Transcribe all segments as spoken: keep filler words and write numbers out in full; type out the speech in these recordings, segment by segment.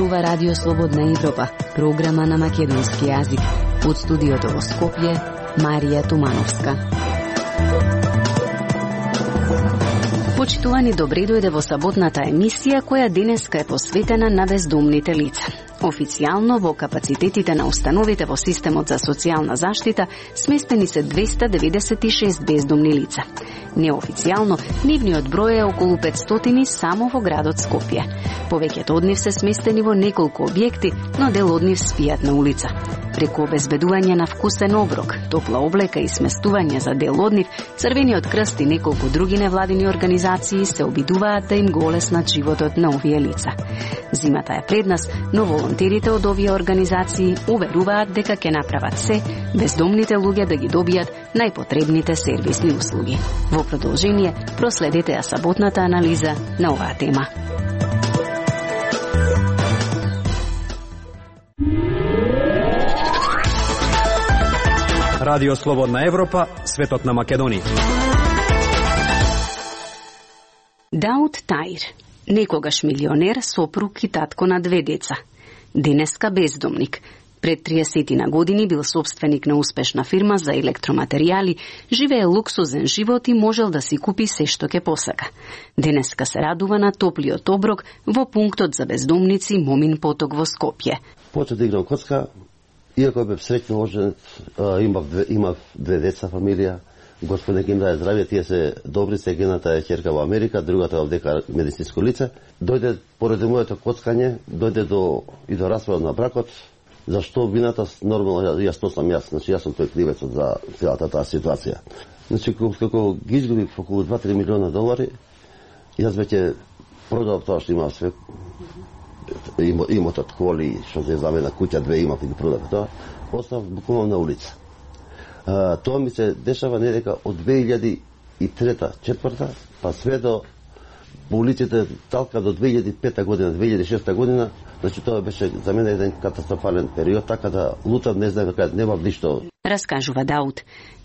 зборува Радио Слободна Европа, програма на македонски јазик. Од студиото во Скопје, Марија Тумановска. Почитувани, добре дојде во саботната емисија која денеска е посветена на бездомните лица. Официјално во капацитетите на установите во системот за социјална заштита сместени се двеста деветдесет и шест бездомни лица. Неофицијално, нивниот број е околу петстотини само во градот Скопје. Повеќето од нив се сместени во неколку објекти, но дел од нив спијат на улица. Преку обезбедување на вкусен оброк, топла облека и сместување за дел од нив, Црвениот крст и неколку други невладини организации се обидуваат да им го олеснат животот на овие лица. Зимата е пред нас, но волонтерите од овие организации уверуваат дека ќе направат се бездомните луѓе да ги добијат најпотребните сервисни услуги. Во продолжение, проследете ја саботната анализа на оваа тема. Радио Слободна Европа, светот на Македонија. Дауд Таир, некогаш милионер, сопруг и татко на две деца. Денеска бездомник. Пред триесет години бил собственик на успешна фирма за електроматеријали, живее луксузен живот и можел да си купи се што ќе посака. Денеска се радува на топлиот оброк во пунктот за бездомници Момин поток во Скопје. Почнав да играм коцка, иако бев среќно оженет, имав две, имав две деца, фамилија. Господи нека им даде здравје, тие се добри, се едната е ќерка во Америка, другата во дека медицинско лице. Дојде поради моето коцкање, дојде до и до распадот на бракот. Зашто вината нормално јас то сам јас, значи јас сум тој кривецот за целата таа ситуација. Значи како ги изгубив околу два-три милиона долари, јас веќе продав тоа што имав све. Имотот, коли, што се за мене куќа, две имав и ги продав тоа, оставав буквално на улица. А, тоа ми се дешава не дека од две илјади и трета-четврта, па све до по улиците талка до две илјади и пета година, две илјади и шеста година, значи тоа беше за мене еден катастрофален период, така да лутам, не знам дека немав ништо. Раскажува Дауд.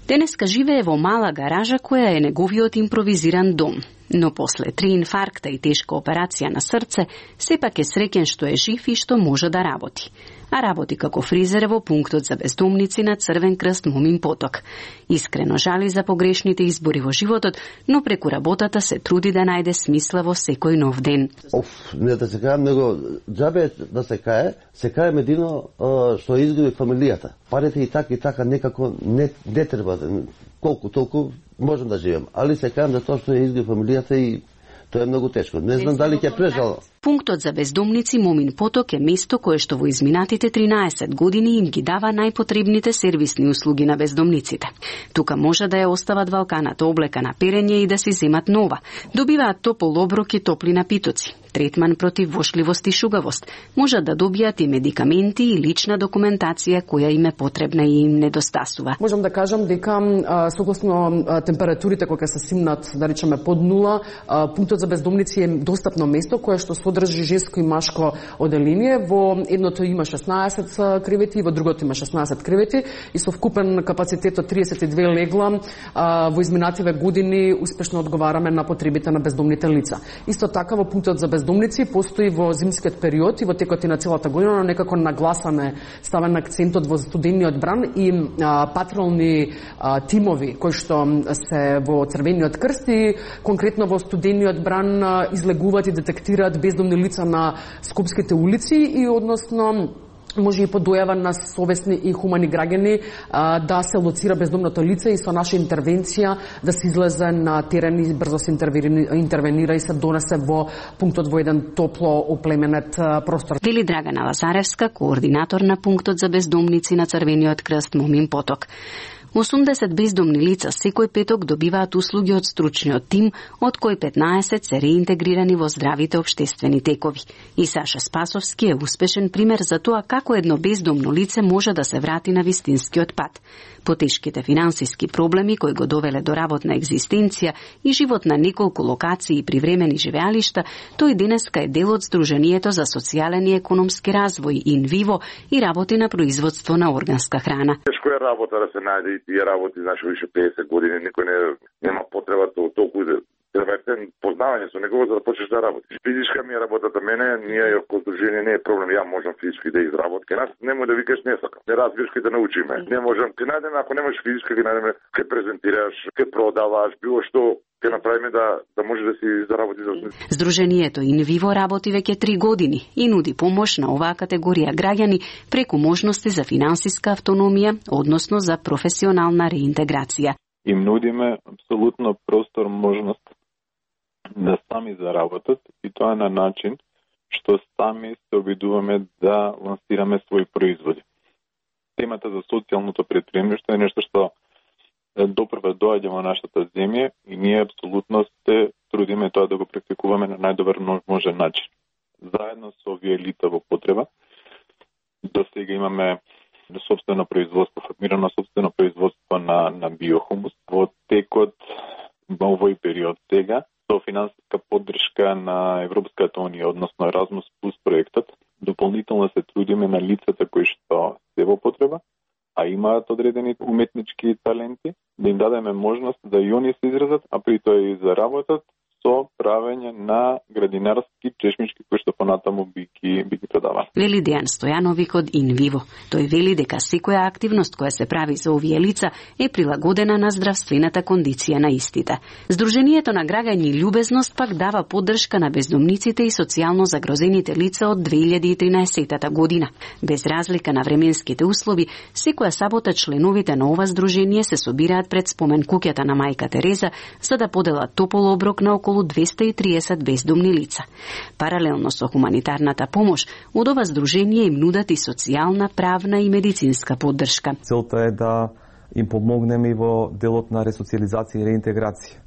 Денеска живее во мала гаража која е неговиот импровизиран дом. Но после три инфаркта и тешка операција на срце, сепак е среќен што е жив и што може да работи. А работи како фризер во пунктот за бездомници на Црвен крст Момин поток. Искрено жали за погрешните избори во животот, но преку работата се труди да најде смисла во секој нов ден. Оф, не да се кајам, него џабе да се кае, се кајам едино што изгуби фамилијата. Парите и така и така некако не, не треба, колку толку можам да живеам, али се кајам за тоа што е изгуби фамилијата и тоа е многу тешко. Не знам дали ќе прежал. Пунктот за бездомници Момин поток е место кое што во изминатите тринаесет години им ги дава најпотребните сервисни услуги на бездомниците. Тука може да ја остават валканата облека на перење и да си земат нова. Добиваат топол оброк и топли напитоци, третман против вошливост и шугавост. Можат да добијат и медикаменти и лична документација која им е потребна и им недостасува. Можам да кажам дека согласно температурите кои се симнат, да речеме под нула, пунктот за бездомници е достапно место кое што содржи женско и машко оделение. Во едното има шеснаесет кревети, во другото има шеснаесет кревети и со вкупен капацитет од триесет и две легла во изминативе години успешно одговараме на потребите на бездомните лица. Исто така во пунктот за бездомници постои во зимскиот период и во текот на целата година, но некако нагласаме ставен акцентот во студениот бран и а, патролни а, тимови кои што се во Црвениот крст и конкретно во студениот бран а, излегуваат и детектираат бездомни лица на скопските улици и односно може и по дојава на совесни и хумани граѓани а, да се лоцира бездомното лице и со наша интервенција да се излезе на терен и брзо се интервенира и се донесе во пунктот во еден топло оплеменет простор. Вели Драгана Лазаревска, координатор на пунктот за бездомници на Црвениот крст Момин поток. осумдесет бездомни лица секој петок добиваат услуги од стручниот тим, од кои петнаесет се реинтегрирани во здравите општествени текови. И Саша Спасовски е успешен пример за тоа како едно бездомно лице може да се врати на вистинскиот пат. По тешките финансиски проблеми кои го довеле до работна екзистенција и живот на неколку локации и привремени живеалишта, тој денеска е дел од Сдруженијето за социјален и економски развој ин виво и работи на производство на органска храна. Тешко е работа да се најде и тие работи, значи више педесет години, никој не нема потреба толку Треба е познавање со него за да почнеш да работиш. Физичка ми е работата мене, ние како здружение не е проблем, ја можам физички да изработам. Ке нас немој да викаш не сакам. Не разбираш ке да научиме. Не можам, ке најдеме ако немаш физичка, ке најдеме ке презентираш, ке продаваш, било што ке направиме да да може да си заработи за осмислено. Здружението Инвиво работи веќе три години и нуди помош на оваа категорија граѓани преку можности за финансиска автономија, односно за професионална реинтеграција. Им нудиме апсолутно простор, можност да сами заработат и тоа на начин што сами се обидуваме да лансираме своји производи. Темата за социјалното претприемништво е нешто што допрва доаѓа во нашата земја и ние апсолутно се трудиме тоа да го практикуваме на најдобар можен начин. Заедно со овие лица во потреба, до сега имаме собствено производство, формирано собствено производство на, на биохумус. Во текот во овој период сега, со финансиска поддршка на Европската унија, односно Erasmus Plus проектот, дополнително се трудиме на лицата кои што се во потреба, а имаат одредени уметнички таленти, да им дадеме можност да и они се изразат, а при тоа и заработат со правење на градинарски чешмички кои што понатаму би ги, би ги продавали. Вели Дејан Стојановик од Инвиво. Тој вели дека секоја активност која се прави за овие лица е прилагодена на здравствената кондиција на истите. Сдружението на граѓани Љубезност пак дава поддршка на бездомниците и социјално загрозените лица од две илјади и тринаесетта година. Без разлика на временските услови, секоја сабота членовите на ова здружение се собираат пред спомен куќата на мајка Тереза за да поделат топол оброк на околу двесте и триесет бездомни лица. Паралелно со хуманитарната помош, од ова здружение им нудат и социјална, правна и медицинска поддршка. Целта е да им помогнеме и во делот на ресоциализација и реинтеграција.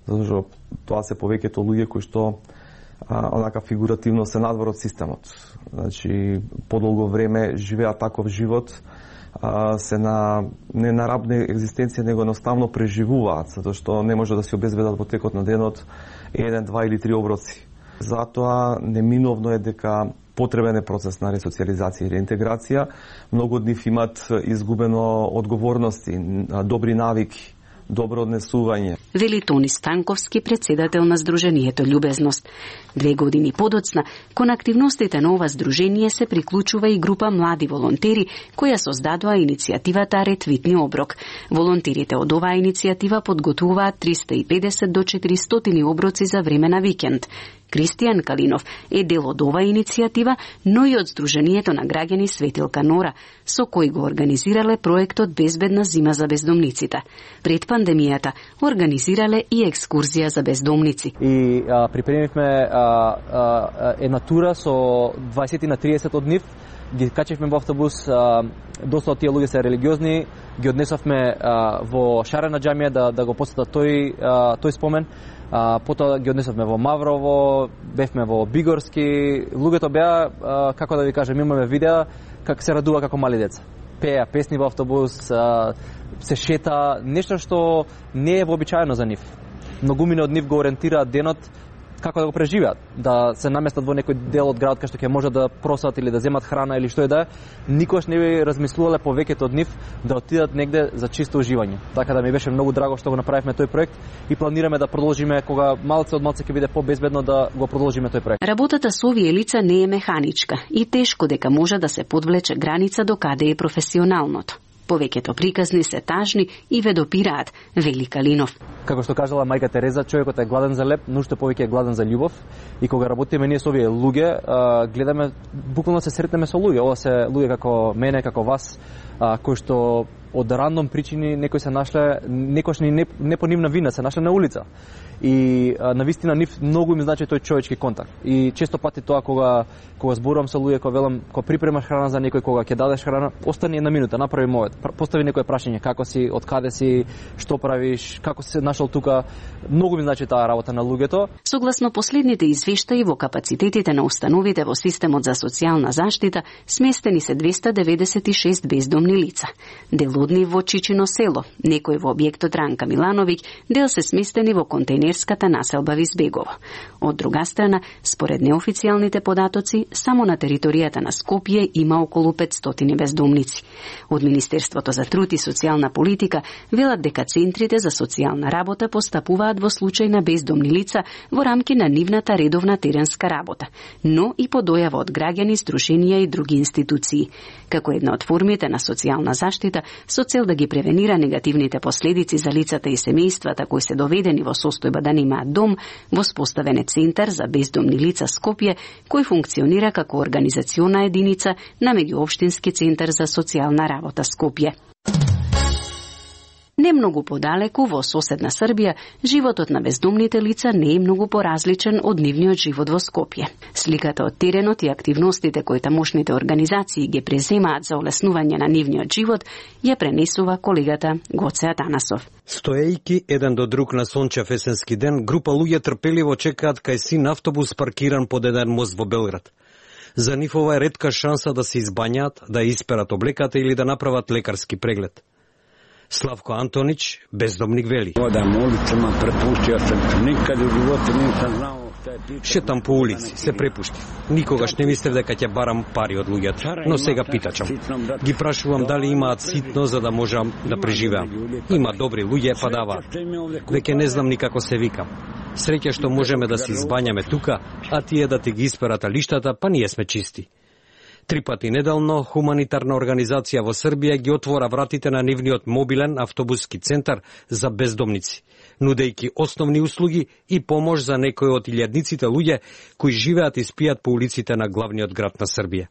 Зашто тоа се повеќето луѓе кои што а, онака фигуративно се надвор од системот. Значи, подолго време живеат таков живот, а, се на не на рабна екзистенција, него едноставно преживуваат, затоа што не може да се обезбедат во текот на денот еден, два или три оброци. Затоа неминовно е дека потребен е процес на ресоциализација и реинтеграција. Многу од нив имат изгубено одговорности, добри навики, добро однесување. Вели Тони Станковски, председател на Сдружението Љубезност. Две години подоцна, кон активностите на ова здружение се приклучува и група млади волонтери, која создадоа иницијативата Ретвитни оброк. Волонтерите од оваа иницијатива подготвуваат триста и педесет до четиристотини оброци за време на викенд. Кристијан Калинов е дел од оваа иницијатива, но и од Сдружението на граѓани Светилка Нора, со кој го организирале проектот Безбедна зима за бездомниците. Пред пандемијата организирале и екскурзија за бездомници. И а, припремивме а, а, една тура со дваесет на триесет од нив, ги качевме во автобус, а, доста од тие луѓе се религиозни, ги однесовме а, во Шарена џамија да, да го посетат тој, а, тој спомен. А, потоа ги однесовме во Маврово, бевме во Бигорски. Луѓето беа, а, како да ви кажем, имаме видеа како се радува како мали деца. Пеа песни во автобус, а, се шета, нешто што не е вообичаено за нив. Многумина од нив го ориентираат денот како да го преживеат, да се наместат во некој дел од градот кај што ќе може да просат или да земат храна или што е да е. Никош не би размислувале повеќето од нив да отидат негде за чисто уживање. Така да ми беше многу драго што го направивме тој проект и планираме да продолжиме кога малце од малце ќе биде побезбедно да го продолжиме тој проект. Работата со овие лица не е механичка и тешко дека може да се подвлече граница до каде е професионалното. Повеќето приказни се тажни и ве допираат, вели Калинов. Како што кажала мајка Тереза, човекот е гладен за леп, но уште повеќе е гладен за љубов. И кога работиме ние со овие луѓе, гледаме, буквално се сретнеме со луѓе. Ова се луѓе како мене, како вас, кои што од рандом причини некои се нашле, некош ни не, не по нивна вина, се нашле на улица. И а, навистина нив многу им значи тој човечки контакт. И често пати тоа кога кога зборувам со луѓе, кога велам, кога припремаш храна за некој, кога ќе дадеш храна, остани една минута, направи мовет, постави некое прашање, како си, од каде си, што правиш, како си се нашол тука. Многу ми значи таа работа на луѓето. Согласно последните извештаи во капацитетите на установите во системот за социјална заштита, сместени се двесте деветдесет и шест бездомни лица. Дел однив во Чичино село, некој во објектот Ранка Милановиќ, дел се сместени во контейнерската населба Визбегово. Од друга страна, според неофицијалните податоци, само на територијата на Скопје има околу петстотини бездомници. Од Министерството за труд и социјална политика велат дека центрите за социјална работа постапуваат во случај на бездомни лица во рамки на нивната редовна теренска работа, но и по дојава од граѓани, здруженија и други институции, како една од формите на социјална заштита со цел да ги превенира негативните последици за лицата и семејствата кои се доведени во состојба да немаат дом. Воспоставен е Центар за бездомни лица Скопје, кој функционира како организациона единица на Меѓуопштински центар за социјална работа Скопје. Не многу подалеку, во соседна Србија, животот на бездомните лица не е многу поразличен од нивниот живот во Скопје. Сликата од теренот и активностите кои тамошните организации ги преземаат за олеснување на нивниот живот ја пренесува колегата Гоце Атанасов. Стоејки еден до друг на сончев есенски ден, група луѓе трпеливо чекаат кај син автобус паркиран под еден мост во Белград. За нив ова е ретка шанса да се избањаат, да исперат облеката или да направат лекарски преглед. Славко Антонич, бездомник, вели: Одам улицама, препуштио сам, никад у животу нисам знао што е питање. Шетам по улици, се препуштив. Никогаш не мислев дека ќе барам пари од луѓето, но сега питачам. Ги прашувам дали имаат ситно за да можам да преживеам. Има добри луѓе, па даваат. Веќе не знам ни како се викам. Среќа што можеме да се избањаме тука, а тие да ти ги исперат лиштата, па ние сме чисти. Три пати неделно хуманитарна организација во Србија ги отвора вратите на нивниот мобилен автобуски центар за бездомници, нудејќи основни услуги и помош за некои од илјадниците луѓе кои живеат и спијат по улиците на главниот град на Србија.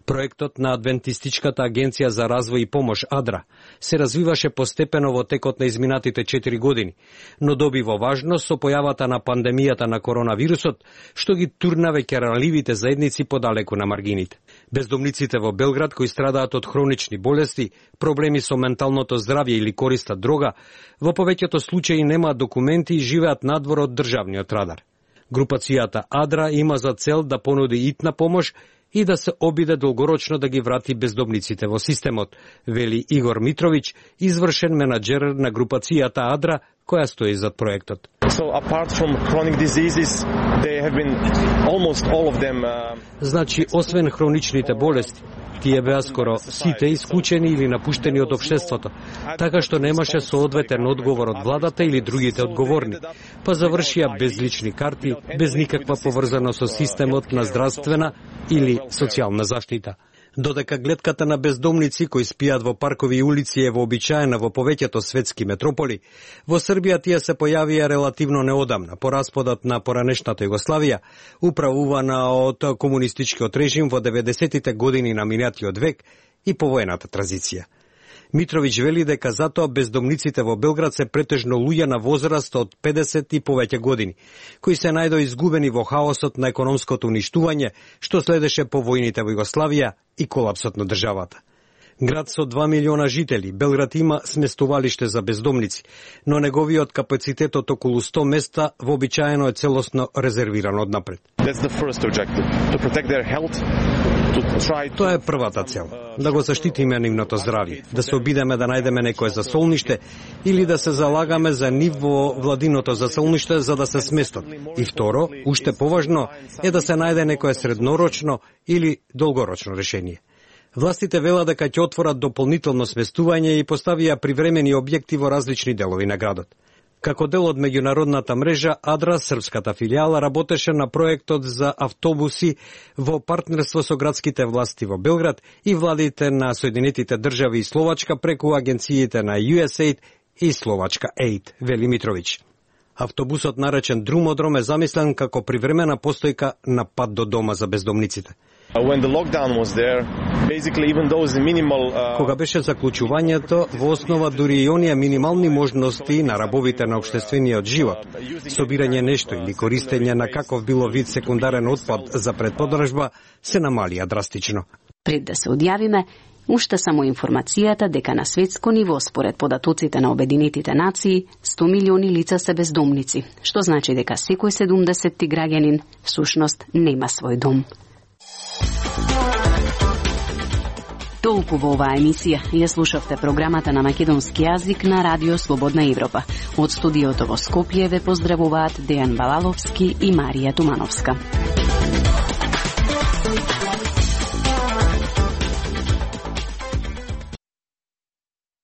Проектот на Адвентистичката агенција за развој и помош АДРА се развиваше постепено во текот на изминатите четири години, но добива важност со појавата на пандемијата на коронавирусот, што ги турна веќе ранливите заедници подалеку на маргините. Бездомниците во Белград кои страдаат од хронични болести, проблеми со менталното здравје или користат дрога, во повеќето случаи немаат документи и живеат надвор од државниот радар. Групацијата АДРА има за цел да понуди итна помош и да се обиде долгорочно да ги врати бездомниците во системот, вели Игор Митровиќ, извршен менаџер на групацијата АДРА, која стои зад проектот. So apart from chronic diseases, they have been almost all of them. Uh... Значи, освен хроничните болести, тие беа скоро сите исклучени или напуштени од општеството, така што немаше соодветен одговор од владата или другите одговорни, па завршија без лични карти, без никаква поврзаност со системот на здравствена или социјална заштита. Додека гледката на бездомници кои спијат во паркови и улици е вообичаена во повеќето светски метрополи, во Србија тие се појавија релативно неодамна, по распадот на поранешната Југославија, управувана од комунистичкиот режим во деветдесетите години на минатиот век и повоената транзиција. Митровиќ вели дека затоа бездомниците во Белград се претежно луѓе на возраст од педесет и повеќе години, кои се најдо изгубени во хаосот на економското уништување, што следеше по војните во Југославија и колапсот на државата. Град со два милиона жители, Белград има сместувалиште за бездомници, но неговиот капацитет од околу сто места вообичаено е целосно резервиран однапред. Тоа е првата цел, да го заштитиме нивното здравје, да се обидеме да најдеме некое засолниште или да се залагаме за нив во владиното засолниште за да се сместат. И второ, уште поважно, е да се најде некое среднорочно или долгорочно решение. Властите вела дека ќе отворат дополнително сместување и поставија привремени објекти во различни делови на градот. Како дел од меѓународната мрежа, АДРА, српската филијала, работеше на проектот за автобуси во партнерство со градските власти во Белград и владите на Соединетите држави и Словачка преку агенциите на ю ес ей и Словачка Aid, вели Митровиќ. Автобусот наречен Друмодром е замислен како привремена постојка на пат до дома за бездомниците. When the lockdown was there, basically even those minimal uh... Кога беше заклучувањето, во основа дури и оние минимални можности на рабовите на општествениот живот, собирање нешто или користење на каков било вид секундарен отпад за предподржба, се намалија драстично. Пред да се одјавиме, уште само информацијата дека на светско ниво, според податоците на Обединетите нации, сто милиони лица се бездомници, што значи дека секој седумдесетти граѓанин всушност нема свој дом. Толку во оваа емисија. Ја слушавте програмата на македонски јазик на Радио Слободна Европа. Од студиото во Скопје ве поздравуваат Дејан Балаловски и Марија Тумановска.